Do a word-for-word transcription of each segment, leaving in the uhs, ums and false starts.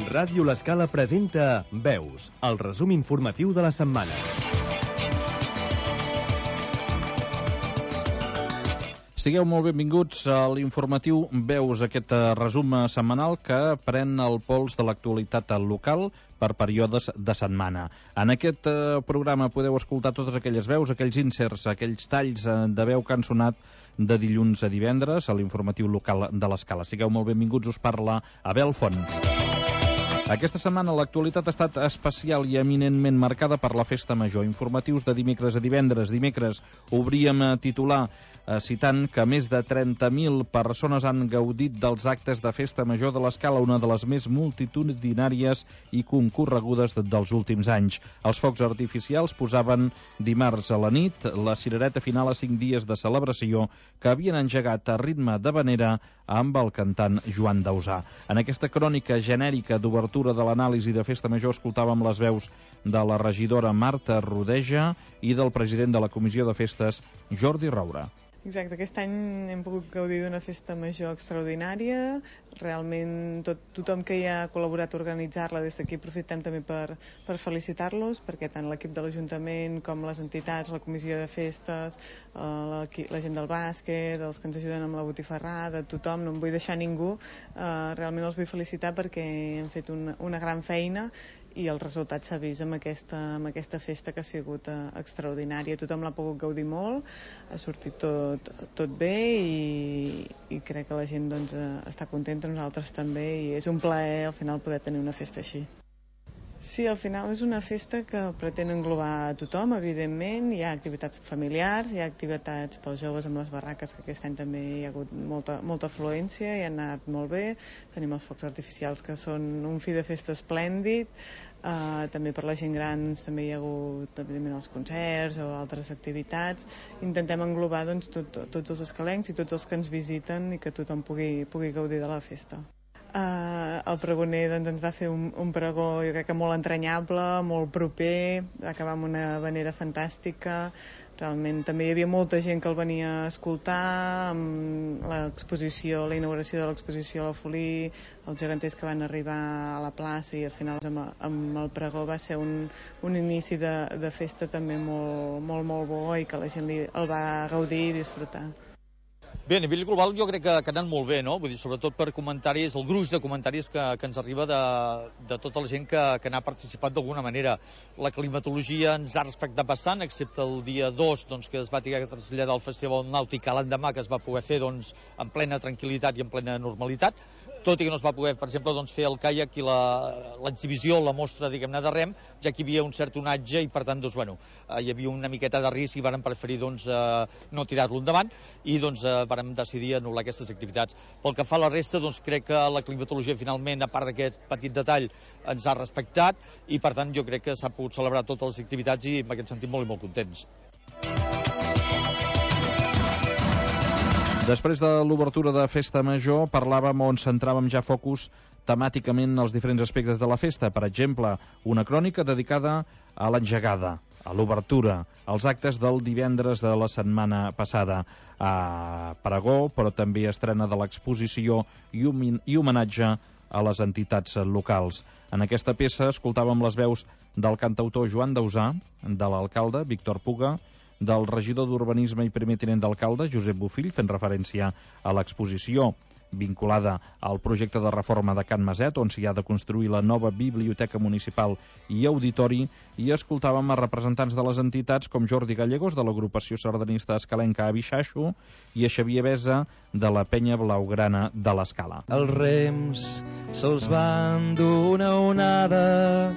Ràdio L'Escala presenta Veus, el resum informatiu de la setmana. Sigueu molt benvinguts a l'informatiu Veus, aquest resum setmanal que pren el pols de l'actualitat local per períodes de setmana. En aquest programa podeu escoltar totes aquelles veus, aquells inserts, aquells talls de veu que han sonat de dilluns a divendres a l'informatiu local de l'Escala. Sigueu molt benvinguts, us parla Abel Font. Aquesta setmana l'actualitat ha estat especial i eminentment marcada per la Festa Major. Informatius de dimecres a divendres. Dimecres obríem a titular eh, citant que més de trenta mil persones han gaudit dels actes de Festa Major de l'Escala, una de les més multitudinàries i concorregudes dels últims anys. Els focs artificials posaven dimarts a la nit la cirereta final a cinc dies de celebració que havien engegat a ritme de vanera amb el cantant Joan Dausà. En aquesta crònica genèrica d'obertura de l'anàlisi de Festa Major escoltàvem les veus de la regidora Marta Rodeja i del president de la Comissió de Festes, Jordi Roura. Exacte, aquest any hem pogut gaudir d'una festa major extraordinària. Realment tot, tothom que hi ha col·laborat a organitzar-la, des d'aquí aprofitem també per, per felicitar-los, perquè tant l'equip de l'Ajuntament com les entitats, la comissió de festes, eh, la, la gent del bàsquet, els que ens ajuden amb la botifarrada, tothom, no em vull deixar ningú, eh, realment els vull felicitar perquè han fet una, una gran feina i el resultat s'ha vist amb aquesta, amb aquesta festa que ha sigut uh, extraordinària. Tothom l'ha pogut gaudir molt, ha sortit tot, tot bé i, i crec que la gent doncs, uh, està contenta, nosaltres també, i és un plaer al final poder tenir una festa així. Sí, al final és una festa que pretén englobar a tothom, evidentment. Hi ha activitats familiars, hi ha activitats pels joves amb les barraques, que aquest any també hi ha hagut molta, molta afluència i han anat molt bé. Tenim els focs artificials, que són un fi de festa esplèndid. Uh, també per la gent gran també hi ha hagut evidentment els concerts o altres activitats. Intentem englobar doncs, tot, tots els escalencs i tots els que ens visiten i que tothom pugui, pugui gaudir de la festa. Uh, el pregoner doncs, ens va fer un, un pregó jo crec que molt entranyable, molt proper, acabar amb una vanera fantàstica. Realment també hi havia molta gent que el venia a escoltar, amb l'exposició, la inauguració de l'exposició a la Folí, els geganters que van arribar a la plaça, i al final amb, amb el pregó va ser un, un inici de, de festa també molt, molt, molt bo i que la gent li, el va gaudir i disfrutar. Bé, a nivell global jo crec que, que ha anat molt bé, no? Vull dir, sobretot per comentaris, el gruix de comentaris que, que ens arriba de, de tota la gent que, que n'ha participat d'alguna manera. La climatologia ens ha respectat bastant, excepte el dia dos, doncs, que es va haver de traslladar al Festival Nàutic a l'endemà, que es va poder fer doncs, en plena tranquil·litat i en plena normalitat, tot i que no es va poder, per exemple, doncs, fer el caiac i l'exhibició, la, la mostra, diguem-ne, de rem, ja que hi havia un cert onatge i, per tant, doncs, bueno, eh, hi havia una miqueta de risc i vàrem preferir doncs, eh, no tirar-lo endavant i doncs, eh, vàrem decidir anul·lar aquestes activitats. Pel que fa a la resta, doncs, crec que la climatologia, finalment, a part d'aquest petit detall, ens ha respectat i, per tant, jo crec que s'ha pogut celebrar totes les activitats i, en aquest sentit, molt i molt contents. Després de l'obertura de Festa Major, parlàvem on centràvem ja focus temàticament els diferents aspectes de la festa. Per exemple, una crònica dedicada a l'engegada, a l'obertura, als actes del divendres de la setmana passada. A pregó, però també estrena de l'exposició i, i homenatge a les entitats locals. En aquesta peça escoltàvem les veus del cantautor Joan Dausà, de l'alcalde Víctor Puga, del regidor d'Urbanisme i primer tinent d'alcalde, Josep Bofill, fent referència a l'exposició vinculada al projecte de reforma de Can Maset, on s'hi ha de construir la nova biblioteca municipal i auditori, i escoltàvem a representants de les entitats com Jordi Gallegos, de l'agrupació sardanista escalenca Abixaixo, i a Xavier Besa, de la penya blaugrana de l'Escala. Els rems se'ls van dur una onada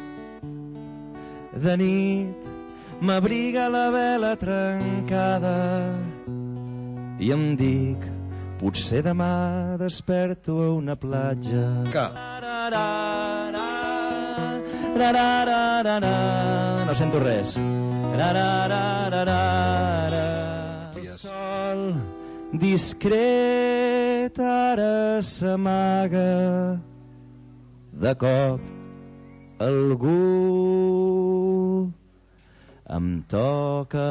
de nit, m'abriga la vela trencada i em dic, potser demà desperto a una platja. Que? No sento res. El sol discret ara s'amaga, de cop algú em toca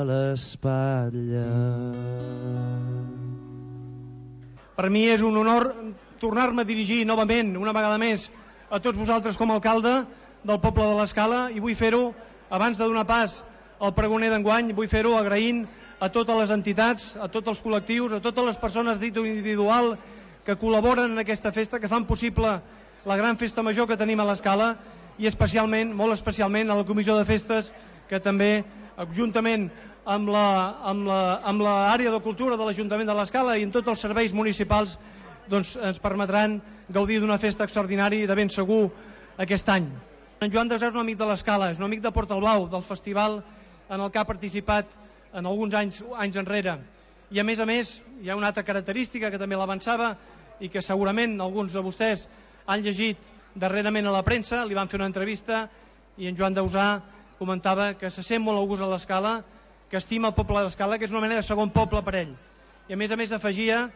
l'espatlla. Per mi és un honor tornar-me a dirigir novament, una vegada més, a tots vosaltres com a alcalde del poble de l'Escala, i vull fer-ho, abans de donar pas al pregoner d'enguany, vull fer-ho agraint a totes les entitats, a tots els col·lectius, a totes les persones dit individual que col·laboren en aquesta festa, que fan possible la gran festa major que tenim a l'Escala, i especialment, molt especialment, a la Comissió de Festes, que també, juntament amb la, amb la, amb l'àrea de cultura de l'Ajuntament de l'Escala i en tots els serveis municipals, doncs ens permetran gaudir d'una festa extraordinària i de ben segur aquest any. En Joan Desar és un amic de l'Escala, és un amic de Portalblau, del festival en el que ha participat en alguns anys, anys enrere. I a més a més hi ha una altra característica que també l'avançava i que segurament alguns de vostès han llegit darrerament a la premsa, li van fer una entrevista i en Joan Dausà comentava que se sent molt a gust a l'Escala, que estima el poble de l'Escala, que és una mena de segon poble per ell. I a més a més afegia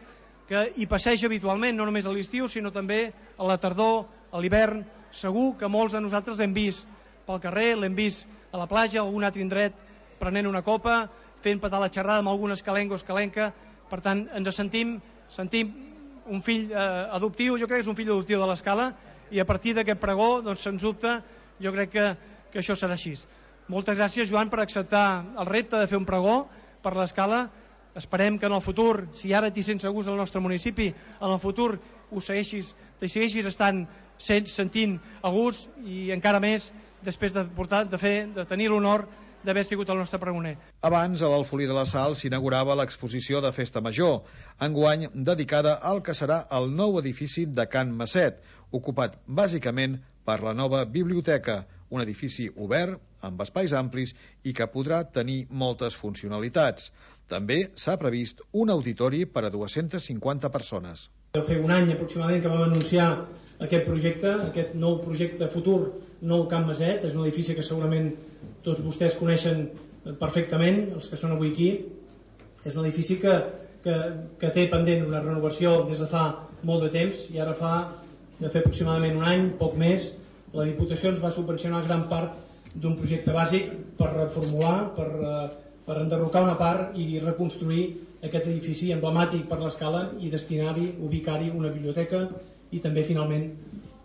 que hi passeja habitualment, no només a l'estiu, sinó també a la tardor, a l'hivern. Segur que molts de nosaltres l'hem vist pel carrer, l'hem vist a la platja, a algun altre indret, prenent una copa, fent petar la xerrada amb algun escalenc o escalenca. Per tant, ens sentim, sentim un fill eh, adoptiu, jo crec que és un fill adoptiu de l'Escala, i a partir d'aquest pregó, doncs, sens dubte, jo crec que, que això serà així. Moltes gràcies, Joan, per acceptar el repte de fer un pregó per l'Escala. Esperem que en el futur, si ara t'hi sents a gust al nostre municipi, en el futur ho segueixis, t'hi segueixis estant sentint a gust, i encara més després de, portar, de, fer, de tenir l'honor d'haver sigut el nostre pregoner. Abans, a l'Alfolí de la Sal s'inaugurava l'exposició de Festa Major, enguany dedicada al que serà el nou edifici de Can Masset, ocupat bàsicament per la nova biblioteca, un edifici obert, amb espais amplis i que podrà tenir moltes funcionalitats. També s'ha previst un auditori per a dues-centes cinquanta persones. Va fer un any aproximadament que vam anunciar aquest projecte, aquest nou projecte futur, nou Can Masset. És un edifici que segurament tots vostès coneixen perfectament, els que són avui aquí. És un edifici que, que, que té pendent una renovació des de fa molt de temps, i ara fa de fer aproximadament un any, poc més, la Diputació ens va subvencionar gran part d'un projecte bàsic per reformular, per, per enderrocar una part i reconstruir aquest edifici emblemàtic per l'Escala i destinar-hi, ubicar-hi una biblioteca i també finalment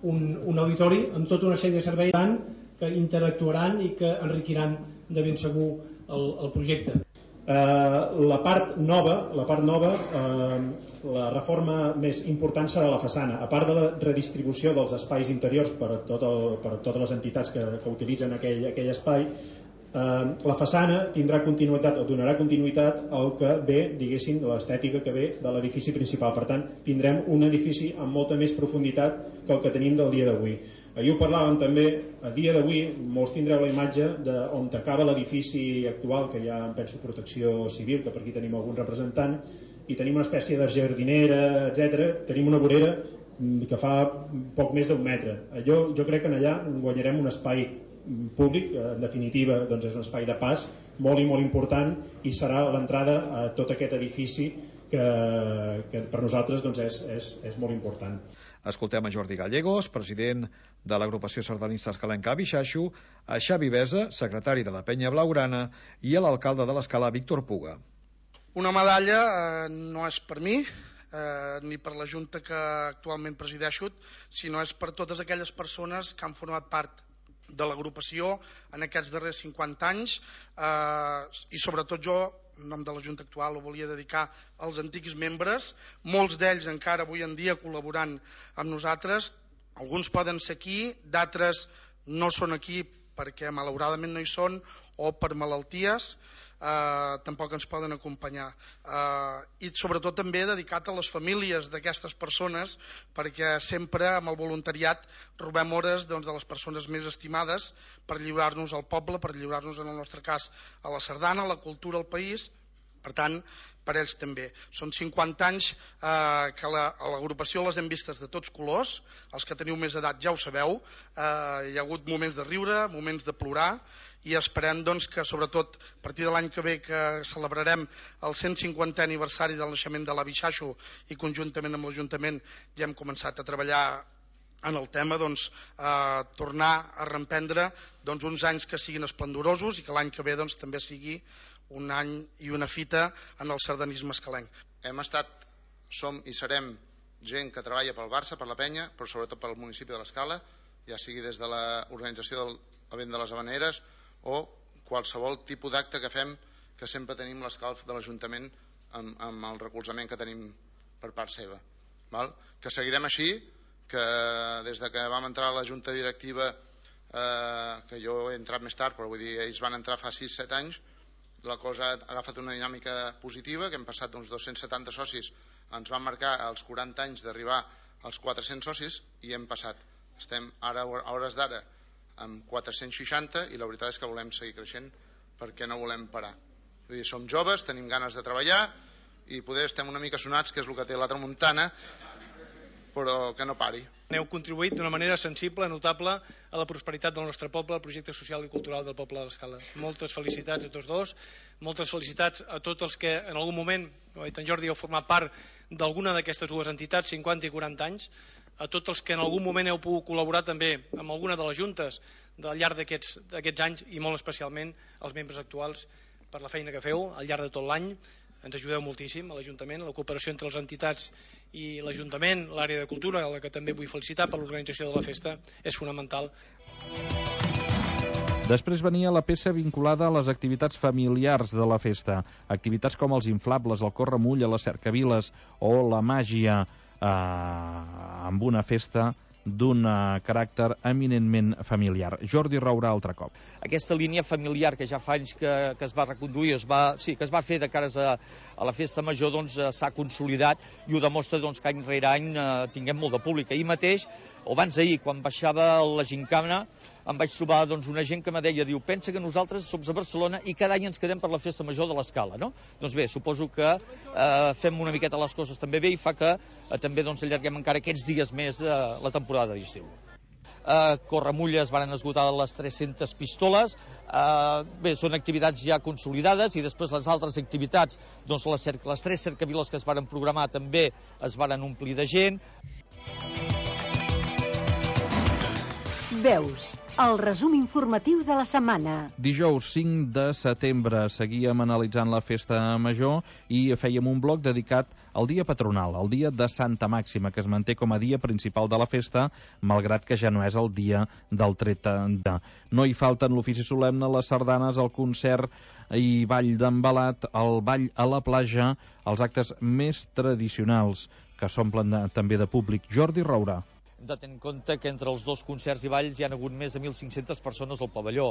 un, un auditori amb tota una sèrie de serveis que interactuaran i que enriquiran de ben segur el, el projecte. Uh, la part nova, la part nova uh, la reforma més important serà la façana. A part de la redistribució dels espais interiors per a, tot el, per a totes les entitats que, que utilitzen aquell, aquell espai, uh, la façana tindrà continuïtat o donarà continuïtat al que ve, diguéssim, de l'estètica que ve de l'edifici principal. Per tant, tindrem un edifici amb molta més profunditat que el que tenim del dia d'avui. Ahir ho parlàvem també, a dia d'avui molts tindreu la imatge d'on acaba l'edifici actual, que hi ha, em penso, protecció civil, que per aquí tenim algun representant, i tenim una espècie de jardinera, etcètera. Tenim una vorera que fa poc més d'un metre. Allò, jo crec que allà guanyarem un espai públic, en definitiva doncs és un espai de pas molt i molt important, i serà l'entrada a tot aquest edifici que, que per nosaltres doncs és, és, és molt important. Escoltem a Jordi Gallegos, president de l'agrupació sardanista escalenca Bixaixo, a Xavi Besa, secretari de la Penya Blaugrana, i a l'alcalde de l'Escala, Víctor Puga. Una medalla eh, no és per mi, eh, ni per la Junta que actualment presideixo, sinó és per totes aquelles persones que han format part de l'agrupació en aquests darrers cinquanta anys, eh, i sobretot jo, en nom de la Junta actual, ho volia dedicar als antics membres, molts d'ells encara avui en dia col·laborant amb nosaltres. Alguns poden ser aquí, d'altres no són aquí perquè malauradament no hi són o per malalties, eh, tampoc ens poden acompanyar. Eh, I sobretot també dedicat a les famílies d'aquestes persones, perquè sempre amb el voluntariat robem hores doncs, de les persones més estimades per lliurar-nos al poble, per lliurar-nos en el nostre cas a la sardana, a la cultura, al país. Per tant, per ells també. Són cinquanta anys eh, que la, a l'agrupació les hem vistes de tots colors. Els que teniu més edat ja ho sabeu. Eh, hi ha hagut moments de riure, moments de plorar, i esperem doncs, que sobretot a partir de l'any que ve, que celebrarem el cent cinquantè aniversari del naixement de l'Avi Xaixo, i conjuntament amb l'Ajuntament ja hem començat a treballar en el tema, doncs, eh, tornar a reemprendre doncs, uns anys que siguin esplendorosos i que l'any que ve doncs, també sigui un any i una fita en el sardanisme escalenc. Hem estat, som i serem gent que treballa pel Barça, per la Penya, però sobretot pel municipi de l'Escala. ja sigui des de l'organització del Vent de les Havaneres o qualsevol tipus d'acte que fem, que sempre tenim l'escalf de l'Ajuntament amb, amb el recolzament que tenim per part seva. Val? Que seguirem així, que des de que vam entrar a la Junta Directiva, eh, que jo he entrat més tard, però vull dir, ells van entrar fa sis set anys, la cosa ha agafat una dinàmica positiva, que hem passat d'uns dos-cents setanta socis, ens van marcar els quaranta anys d'arribar als quatre-cents socis i hem passat. Estem ara, a hores d'ara, amb quatre-cents seixanta i la veritat és que volem seguir creixent perquè no volem parar. Vull dir, som joves, tenim ganes de treballar i poder estem una mica sonats, que és el que té la tramuntana, però que no pari. Heu contribuït d'una manera sensible, notable, a la prosperitat del nostre poble, al projecte social i cultural del poble de l'Escala. Moltes felicitats a tots dos, moltes felicitats a tots els que en algun moment, ho ha dit en Jordi, heu format part d'alguna d'aquestes dues entitats, cinquanta i quaranta anys, a tots els que en algun moment heu pogut col·laborar també amb alguna de les juntes al llarg d'aquests anys i molt especialment als membres actuals per la feina que feu al llarg de tot l'any. Ens ajudeu moltíssim a l'Ajuntament, la cooperació entre les entitats i l'Ajuntament, l'àrea de cultura, a la que també vull felicitar per l'organització de la festa, és fonamental. Després venia la peça vinculada a les activitats familiars de la festa. Activitats com els inflables, el corremull, les cercaviles o la màgia, eh, amb una festa d'un caràcter eminentment familiar. Jordi Rourà, altre cop. Aquesta línia familiar que ja fa anys que, que es va reconduir, es va, sí, que es va fer de cares a, a la festa major, doncs s'ha consolidat i ho demostra doncs, que any rere any eh, tinguem molt de públic. Ahir mateix, o abans d'ahir, quan baixava la gincana, em vaig trobar doncs, una gent que me deia, diu, pensa que nosaltres som a Barcelona i cada any ens quedem per la festa major de l'Escala, no? Doncs bé, suposo que eh, fem una miqueta les coses també bé i fa que eh, també doncs, allarguem encara aquests dies més de la temporada d'estiu. Eh, Corremulles van esgotar les tres-centes pistoles, eh, bé, són activitats ja consolidades i després les altres activitats, doncs les, les tres cercaviles que es van programar també es van omplir de gent. Veus, el resum informatiu de la setmana. Dijous cinc de setembre seguíem analitzant la festa major i fèiem un bloc dedicat al dia patronal, el dia de Santa Màxima, que es manté com a dia principal de la festa, malgrat que ja no és el dia del tret de. No hi falten l'ofici solemne, les sardanes, el concert i ball d'embalat, el ball a la platja, els actes més tradicionals que s'omplen també de públic. Jordi Rourà. Hem de tenir en compte que entre els dos concerts i balls hi ha hagut més de mil cinc-centes persones al pavelló.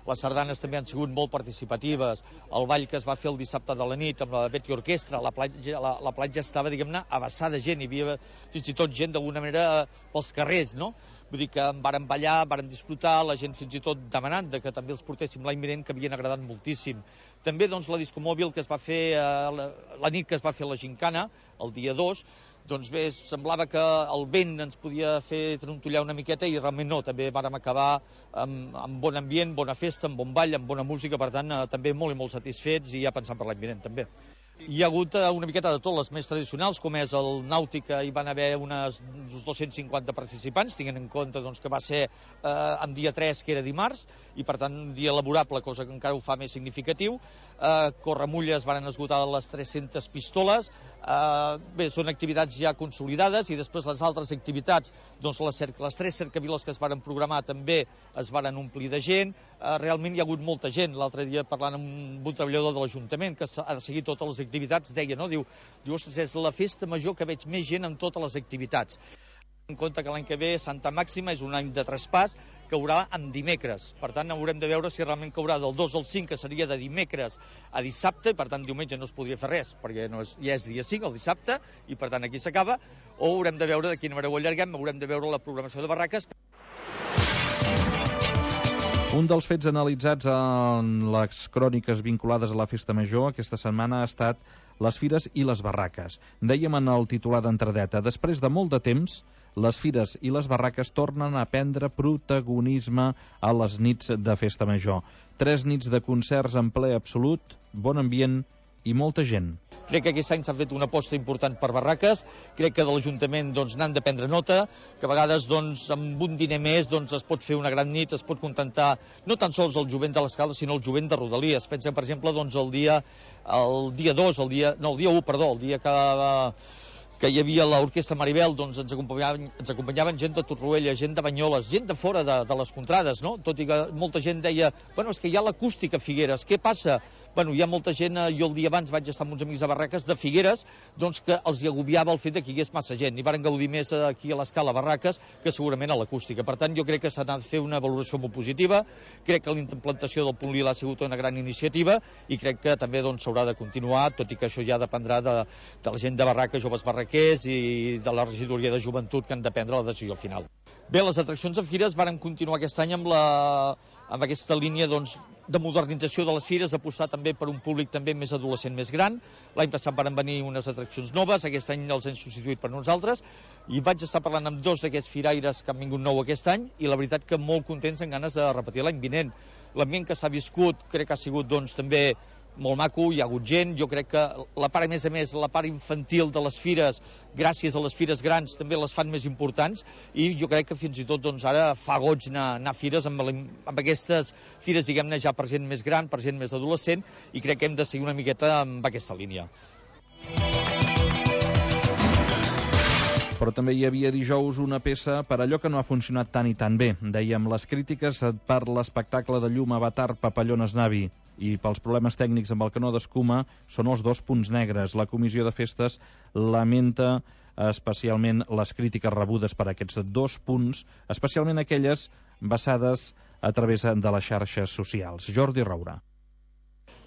Les sardanes també han sigut molt participatives. El ball que es va fer el dissabte de la nit amb la Betty Orquestra, la platja, la, la platja estava, diguem-ne, abassada de gent. Hi havia fins i tot gent d'alguna manera pels carrers, no? Vull dir que en varen ballar, en varen disfrutar, la gent fins i tot demanant de que també els portéssim l'any vinent, que havien agradat moltíssim. També doncs, la discomòbil que es va fer eh, la, la nit que es va fer la gincana, el dia dos, doncs bé, semblava que el vent ens podia fer trontollar una miqueta i realment no, també vàrem acabar amb, amb bon ambient, bona festa, amb bon ball, amb bona música, per tant, eh, també molt i molt satisfets i ja pensant per l'any vinent també. Hi ha hagut una miqueta de tot, les més tradicionals, com és el nàutic, hi van haver unes, uns dos-cents cinquanta participants, tinguent en compte doncs, que va ser eh, en dia tres, que era dimarts, i per tant un dia laborable, cosa que encara ho fa més significatiu. Eh, Corremulles van esgotar les tres-centes pistoles, eh, bé, són activitats ja consolidades, i després les altres activitats, doncs les, les tres cercaviles que es varen programar també es varen omplir de gent. Eh, realment hi ha hagut molta gent. L'altre dia parlant amb un treballador de l'Ajuntament que ha de seguir totes les activitats, deia, no? Diu, diu, ostres, és la festa major que veig més gent en totes les activitats. En compte que l'any que ve Santa Màxima és un any de traspàs, caurà en dimecres. Per tant, haurem de veure si realment caurà del dos al cinc, que seria de dimecres a dissabte, per tant, diumenge no es podria fer res, perquè no és, ja és dia cinc, el dissabte, i per tant aquí s'acaba, o haurem de veure de quina manera ho allarguem, haurem de veure la programació de barraques. Un dels fets analitzats en les cròniques vinculades a la festa major aquesta setmana ha estat les fires i les barraques. Dèiem en el titular d'entradeta, després de molt de temps, les fires i les barraques tornen a prendre protagonisme a les nits de festa major. Tres nits de concerts en ple absolut, bon ambient i molta gent. Crec que aquest any s'ha fet una aposta important per barraques, crec que de l'Ajuntament doncs, n'han de prendre nota, que a vegades doncs, amb un diner més doncs, es pot fer una gran nit, es pot contentar no tan sols el jovent de l'Escala, sinó el jovent de Rodalies. Pensem, per exemple, doncs, el dia el dia dos, el dia, no, el dia u, perdó, el dia que, que hi havia l'orquestra Maribel, doncs ens acompanyaven, ens acompanyaven gent de Torroella, gent de Banyoles, gent de fora de, de les contrades, no? Tot i que molta gent deia, bueno, és que hi ha l'acústica a Figueres, què passa? Bueno, hi ha molta gent, jo el dia abans vaig estar amb uns amics a Barraques de Figueres, doncs que els hi agobiava el fet que hi hagués massa gent, i varen gaudir més aquí a l'escala Barraques que segurament a l'acústica. Per tant, jo crec que s'ha de fer una valoració molt positiva, crec que la implantació del punt lila ha sigut una gran iniciativa i crec que també doncs, s'haurà de continuar, tot i que això ja dependrà de, de la gent de Barraques, joves barraquers i de la regidoria de joventut que han de prendre la decisió final. Bé, les atraccions en fires varen continuar aquest any amb, la, amb aquesta línia doncs, de modernització de les fires, apostar també per un públic també més adolescent, més gran. L'any passat varen venir unes atraccions noves, aquest any els hem substituït per nosaltres, i vaig estar parlant amb dos d'aquests firaires que han vingut nou aquest any, i la veritat que molt contents, amb ganes de repetir l'any vinent. L'ambient que s'ha viscut crec que ha sigut doncs, també molt maco, hi ha hagut gent, jo crec que la part, a més a més, la part infantil de les fires, gràcies a les fires grans, també les fan més importants, i jo crec que fins i tot doncs, ara fa goig anar, anar a fires amb, amb aquestes fires, diguem-ne, ja per gent més gran, per gent més adolescent, i crec que hem de seguir una miqueta amb aquesta línia. Però també hi havia dijous una peça per allò que no ha funcionat tan i tan bé. Dèiem, les crítiques per l'espectacle de llum Avatar Papallones Navi i pels problemes tècnics amb el canó d'escuma són els dos punts negres. La comissió de festes lamenta especialment les crítiques rebudes per aquests dos punts, especialment aquelles basades a través de les xarxes socials. Jordi Roura.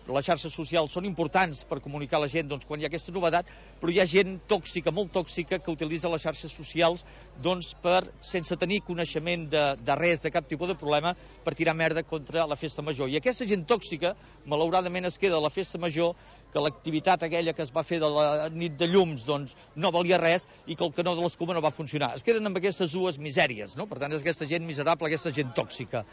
Les xarxes socials són importants per comunicar a la gent doncs, quan hi ha aquesta novedat, però hi ha gent tòxica, molt tòxica, que utilitza les xarxes socials doncs, per, sense tenir coneixement de, de res, de cap tipus de problema, per tirar merda contra la festa major. I aquesta gent tòxica, malauradament, es queda a la festa major, que l'activitat aquella que es va fer de la nit de llums doncs, no valia res i que el canó de l'escuma no va funcionar. Es queden amb aquestes dues misèries, no? Per tant, és aquesta gent miserable, aquesta gent tòxica.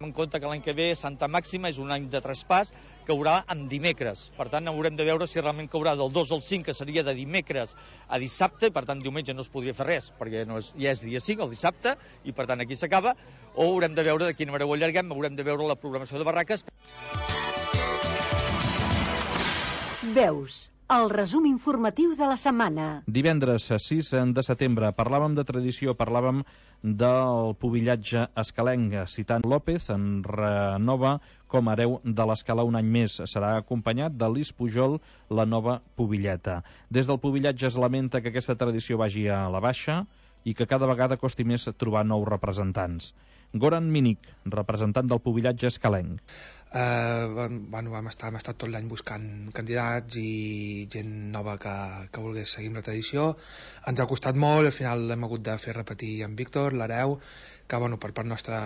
En compte que l'any que ve Santa Màxima és un any de traspàs, caurà en dimecres. Per tant, haurem de veure si realment caurà del dos al cinc, que seria de dimecres a dissabte, i per tant diumenge no es podria fer res, perquè no és, ja és dia cinc, el dissabte, i per tant aquí s'acaba, o haurem de veure de quina manera ho allarguem, haurem de veure la programació de Barraques. Veus, el resum informatiu de la setmana. Divendres sis de setembre parlàvem de tradició, parlàvem del pubillatge escalenc, citant López en renova com a hereu de l'escala un any més. Serà acompanyat de Lis Pujol, la nova pubilleta. Des del pubillatge es lamenta que aquesta tradició vagi a la baixa i que cada vegada costi més trobar nous representants. Goran Minic, representant del pubillatge escalenc. Uh, bueno, vam estar, hem estat tot l'any buscant candidats i gent nova que, que volgués seguir amb la tradició. Ens ha costat molt, al final hem hagut de fer repetir amb Víctor, l'hereu, que bueno, per part nostra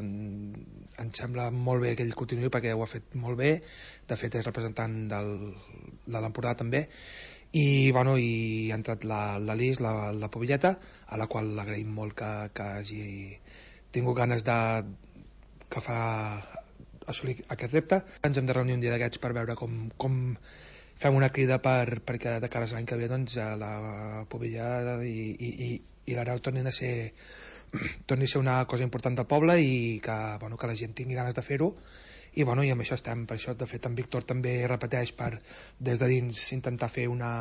em sembla molt bé que ell continuï perquè ho ha fet molt bé. De fet és representant del, de l'Empordà també. I, bueno, i ha entrat la, la Lis, la, la pubilleta, a la qual l'agraïm molt que, que hagi tingut ganes de que fa assolir aquest repte. Ens hem de reunir un dia d'aquests per veure com, com fem una crida per, perquè de cara a l'any que ve doncs, la pubilla i, i, i, i l'hereu tornin a ser torni a ser una cosa important del poble i que, bueno, que la gent tingui ganes de fer-ho. I, bueno, i amb això estem. Per això, de fet, en Víctor també repeteix per, des de dins, intentar fer una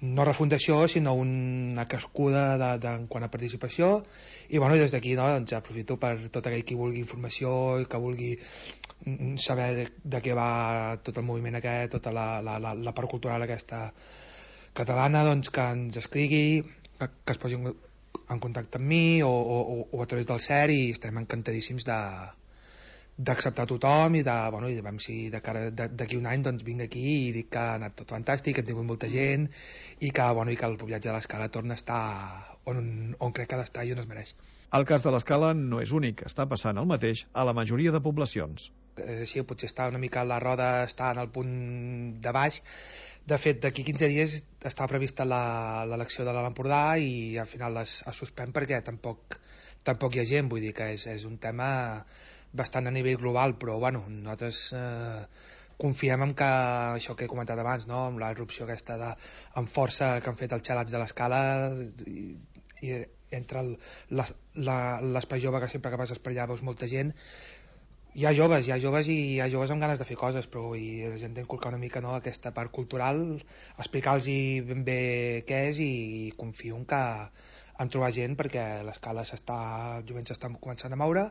no refundació, sinó una crescuda de, de, en quant a participació. I, bueno, des d'aquí no, doncs, aprofito per tot aquell qui vulgui informació i que vulgui saber de, de què va tot el moviment aquest, tota la, la, la, la part cultural aquesta catalana, doncs que ens escrigui, que, que es posi en, en contacte amb mi o, o, o a través del C E R, i estem encantadíssims de d'acceptar tothom i de, bueno, i de veure si de cara d'aquí un any doncs vinc aquí i dic que ha anat tot fantàstic, que hem tingut molta gent i que, bueno, i que el pubillatge de l'Escala torna a estar on, on crec que ha d'estar i on es mereix. El cas de l'Escala no és únic, està passant el mateix a la majoria de poblacions. És així, potser està una mica la roda, està en el punt de baix. De fet, d'aquí quinze dies està prevista l'elecció de l'Empordà i al final es, es suspèn perquè tampoc, tampoc hi ha gent, vull dir que és, és un tema bastant a nivell global, però bueno, nosaltres eh, confiem en que això que he comentat abans, no? Amb la irrupció aquesta de, amb força que han fet els xalats de l'Escala i, i entre l'espai jove que sempre que vas per allà veus molta gent, Hi ha joves, hi ha joves i hi ha joves amb ganes de fer coses, però i la gent d'inculcar una mica, no, aquesta part cultural, explicar-los ben bé què és, i confio en que en trobar gent, perquè l'escala s'està, el jovent s'està començant a moure,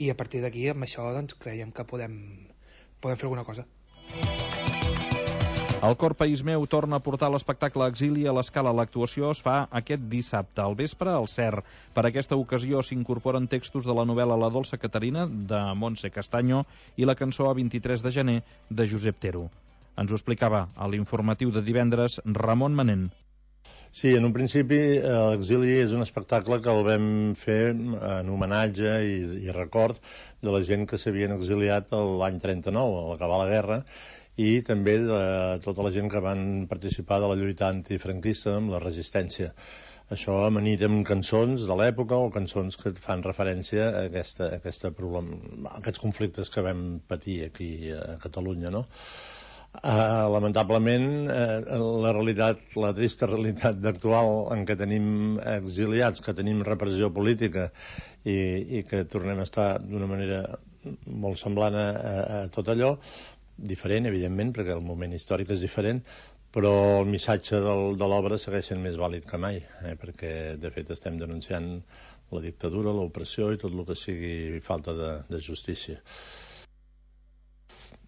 i a partir d'aquí amb això doncs creiem que podem, podem fer alguna cosa. El Cor País Meu torna a portar l'espectacle Exili a l'Escala. L'actuació es fa aquest dissabte al vespre al C E R. Per aquesta ocasió s'incorporen textos de la novel·la La dolça Caterina, de Montse Castaño, i la cançó A vint-i-tres de gener, de Josep Tero. Ens ho explicava a l'informatiu de divendres Ramon Manent. Sí, en un principi l'Exili és un espectacle que el vam fer en homenatge i, i record de la gent que s'havien exiliat l'any trenta-nou, a l'acabar la guerra, i també de tota la gent que van participar de la lluita antifranquista amb la resistència. Això amanit amb cançons de l'època o cançons que fan referència a, aquesta, a, aquesta problem, a aquests conflictes que vam patir aquí a Catalunya, no? Uh, lamentablement, uh, la realitat, la trista realitat actual en què tenim exiliats, que tenim repressió política i, i que tornem a estar d'una manera molt semblant a, a tot allò, diferent, evidentment, perquè el moment històric és diferent, però el missatge del, de l'obra segueix sent més vàlid que mai, eh, perquè de fet estem denunciant la dictadura, l'opressió i tot el que sigui falta de, de justícia.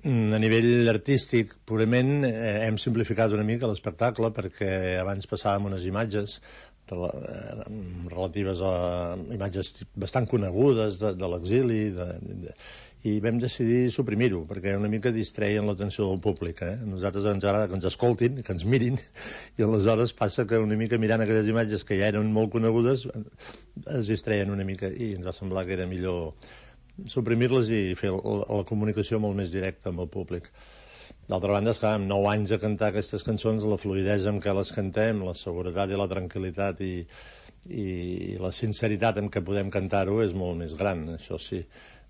A nivell artístic, purament, eh, hem simplificat una mica l'espectacle, perquè abans passàvem unes imatges relatives a imatges bastant conegudes de, de l'exili, de, de, i vam decidir suprimir-ho, perquè una mica distreien l'atenció del públic. Eh? A nosaltres ens agrada que ens escoltin, que ens mirin, i aleshores passa que una mica mirant aquelles imatges que ja eren molt conegudes es distreien una mica, i ens va semblar que era millor suprimir-les i fer la, la comunicació molt més directa amb el públic. D'altra banda, esclar, amb nou anys a cantar aquestes cançons, la fluïdesa amb què les cantem, la seguretat i la tranquil·litat i, i la sinceritat en què podem cantar-ho és molt més gran, això sí.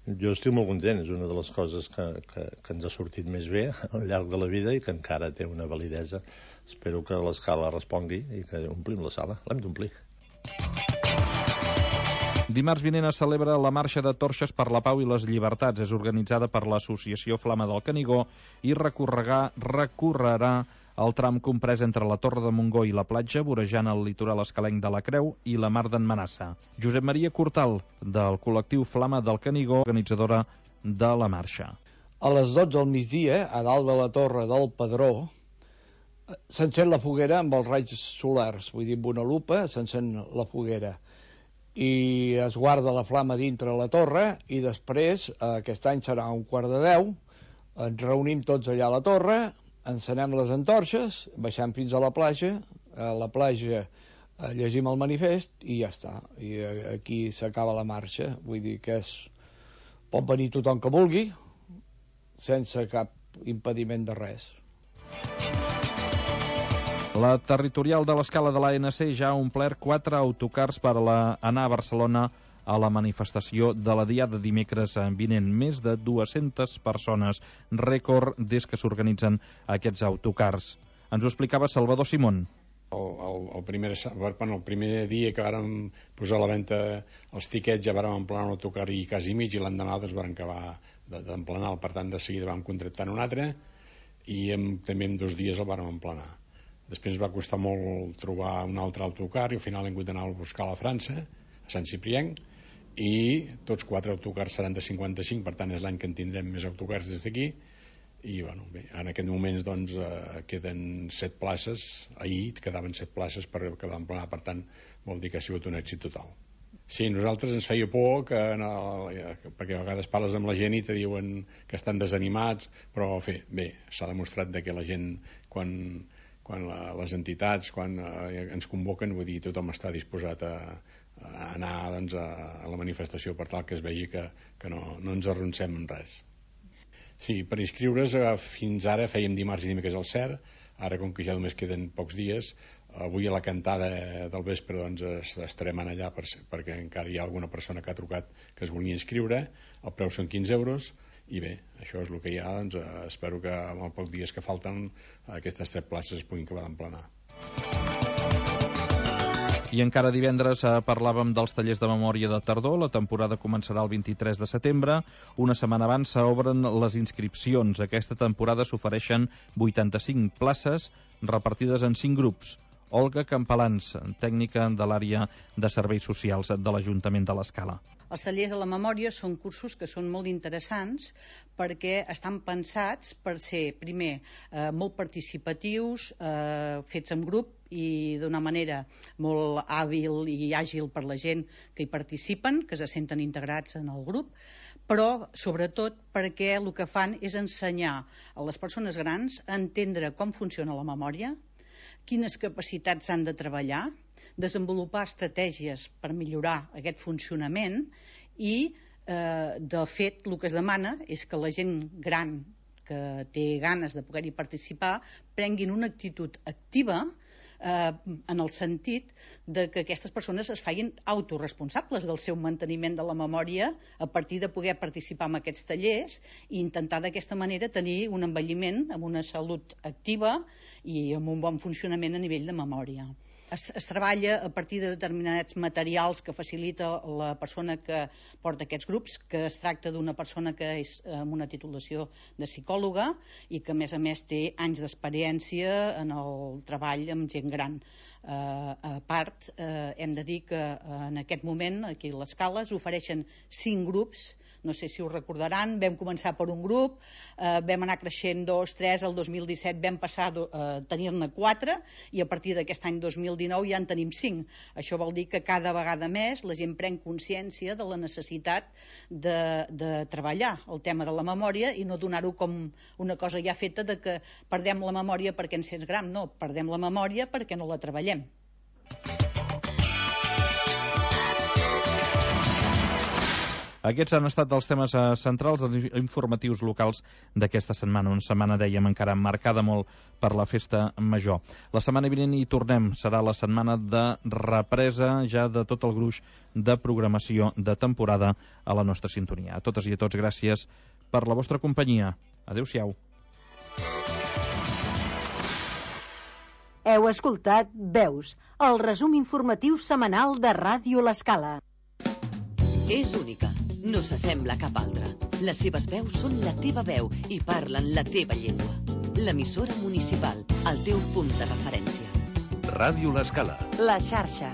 Jo estic molt content, és una de les coses que, que, que ens ha sortit més bé al llarg de la vida i que encara té una validesa. Espero que l'Escala respongui i que omplim la sala. L'hem d'omplir. Dimarts vinent es celebra la Marxa de Torxes per la Pau i les Llibertats. És organitzada per l'Associació Flama del Canigó i recorrerà, recorrerà el tram comprès entre la Torre de Montgó i la platja, vorejant el litoral escalenc de la Creu i la Mar d'en Manassa. Josep Maria Cortal, del col·lectiu Flama del Canigó, organitzadora de la marxa. A les dotze del migdia, a dalt de la Torre del Pedró, s'encén la foguera amb els raigs solars, vull dir, amb una lupa s'encén la foguera. I es guarda la flama dintre la torre i després, aquest any serà un quart de deu, ens reunim tots allà a la torre, encenem les antorxes, baixem fins a la platja, a la platja llegim el manifest i ja està. I aquí s'acaba la marxa, vull dir que és... pot venir tothom que vulgui, sense cap impediment de res. La territorial de l'Escala de l'A N C ja ha omplert quatre autocars per la, anar a Barcelona a la manifestació de la Diada dimecres vinent. Més de dues-centes persones, rècord des que s'organitzen aquests autocars. Ens ho explicava Salvador Simón. El, el, el, primer, bueno, el primer dia que vàrem posar a la venda els tiquets ja vàrem emplenar un autocar i quasi mig, i l'endemà doncs vàrem acabar d'emplenar, per tant de seguida vam contractar un altre i en, també en dos dies el vàrem emplenar. Després va costar molt trobar un altre autocar i al final hem hagut d'anar a buscar a la França, a Sant Ciprienc, i tots quatre autocars seran de cinquanta-cinc, per tant és l'any que en tindrem més autocars des d'aquí. I bueno, bé, en aquest moment doncs, eh, queden set places, ahir quedaven set places per acabar d'emplenar, per tant vol dir que ha sigut un èxit total. Sí, nosaltres ens feia por que, no, perquè a vegades parles amb la gent i te diuen que estan desanimats, però bé, bé s'ha demostrat que la gent quan quan la, les entitats quan eh, ens convoquen, vull dir, tothom està disposat a, a anar doncs, a, a la manifestació per tal que es vegi que, que no, no ens arroncem en res. Sí, per inscriure's eh, fins ara fèiem dimarts i dimecres al C E R, ara com que ja només queden pocs dies, avui a la cantada del vespre doncs, estarem allà per, perquè encara hi ha alguna persona que ha trucat que es volia inscriure, el preu són quinze euros, i bé, això és el que hi ha, doncs, eh, espero que en els pocs dies que falten aquestes set places es puguin acabar d'emplenar. I encara divendres eh, parlàvem dels tallers de memòria de tardor. La temporada començarà el vint-i-tres de setembre. Una setmana abans s'obren les inscripcions. Aquesta temporada s'ofereixen vuitanta-cinc places repartides en cinc grups. Olga Campalans, tècnica de l'àrea de serveis socials de l'Ajuntament de l'Escala. Els tallers de la memòria són cursos que són molt interessants perquè estan pensats per ser, primer, eh, molt participatius, eh, fets en grup i d'una manera molt hàbil i àgil per la gent que hi participen, que se senten integrats en el grup, però sobretot perquè el que fan és ensenyar a les persones grans a entendre com funciona la memòria, quines capacitats han de treballar, desenvolupar estratègies per millorar aquest funcionament i, eh, de fet, el que es demana és que la gent gran que té ganes de poder-hi participar prenguin una actitud activa eh, en el sentit de que aquestes persones es facin autoresponsables del seu manteniment de la memòria a partir de poder participar en aquests tallers i intentar d'aquesta manera tenir un envelliment amb una salut activa i amb un bon funcionament a nivell de memòria. Es, es treballa a partir de determinats materials que facilita la persona que porta aquests grups, que es tracta d'una persona que és amb una titulació de psicòloga i que a més a més té anys d'experiència en el treball amb gent gran. Uh, a part, uh, hem de dir que uh, en aquest moment aquí a l'Escala s'ofereixen cinc grups. No sé si ho recordaran, vam començar per un grup, eh, vam anar creixent dos, tres, el dos mil disset vam passar a eh, tenir-ne quatre i a partir d'aquest any dos mil dinou ja en tenim cinc. Això vol dir que cada vegada més la gent pren consciència de la necessitat de, de treballar el tema de la memòria i no donar-ho com una cosa ja feta de que perdem la memòria perquè ens sents gran. No, perdem la memòria perquè no la treballem. Aquests han estat els temes centrals dels informatius locals d'aquesta setmana. Una setmana, dèiem, encara marcada molt per la festa major. La setmana vinent hi tornem. Serà la setmana de represa ja de tot el gruix de programació de temporada a la nostra sintonia. A totes i a tots, gràcies per la vostra companyia. Adéu-siau. Heu escoltat Veus, el resum informatiu setmanal de Ràdio L'Escala. És única, no s'assembla a cap altra. Les seves veus són la teva veu i parlen la teva llengua. L'emissora municipal, el teu punt de referència. Ràdio L'Escala. La xarxa.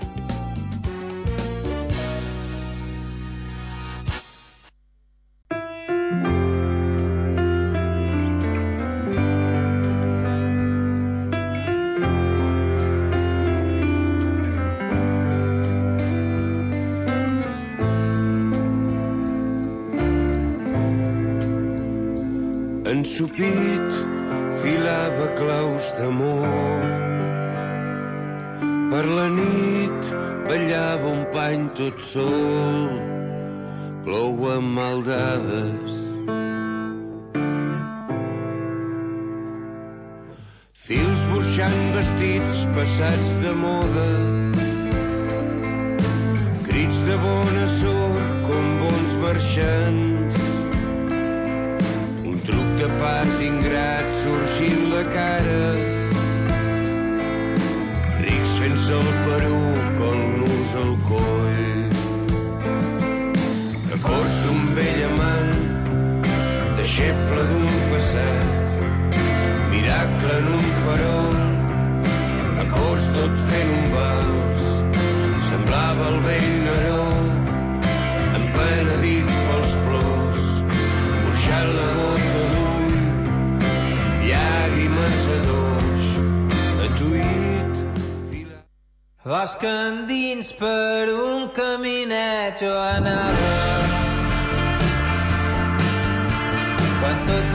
Ensopit filava claus d'amor. Per la nit ballava un pany tot sol, clou amb maldades. Fils burxant vestits passats de moda, crits de bona sort com bons marxants. Truc de pas ingrat sorgint la cara, rics fent-se el peruc, el nus al coll. Records d'un vell amant, deixeble d'un passat, miracle en un farol, acords tot fent un vals. Semblava el vell Neró, empenedit pels plors, burxant la gota d'ull, llàgrimes a doig, atuït. Bosc endins per un caminet jo anava, quan tot